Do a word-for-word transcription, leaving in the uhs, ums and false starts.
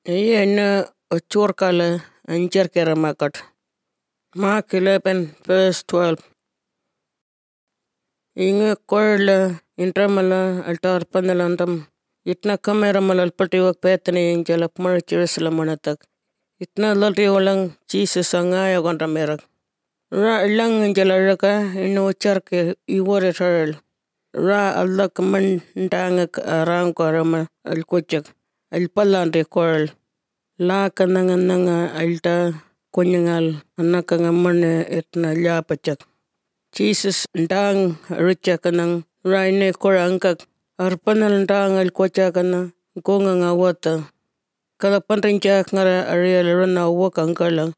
Iya churkala ancher keramakat. Mark eleven verse twelve. Inge korla intramala altar panalantam. Itna kamera malal patiwak petani injalak mar Jerusalem manatak. Itna lalri walang Jesus angaya gondamerak. Ra ilang injalaraka ino charke iwore taral. Ra Allah kamandangak arang korama alkuchak. Alpalante koral. La kananga nanga alta kunyangal anakanga mane etna lapachak. Jesus ndang richa kanang raine korangkak arpanal ndang alkucha kana gonga nga wata. Kada panrincha ngara ariel rana wakang kalang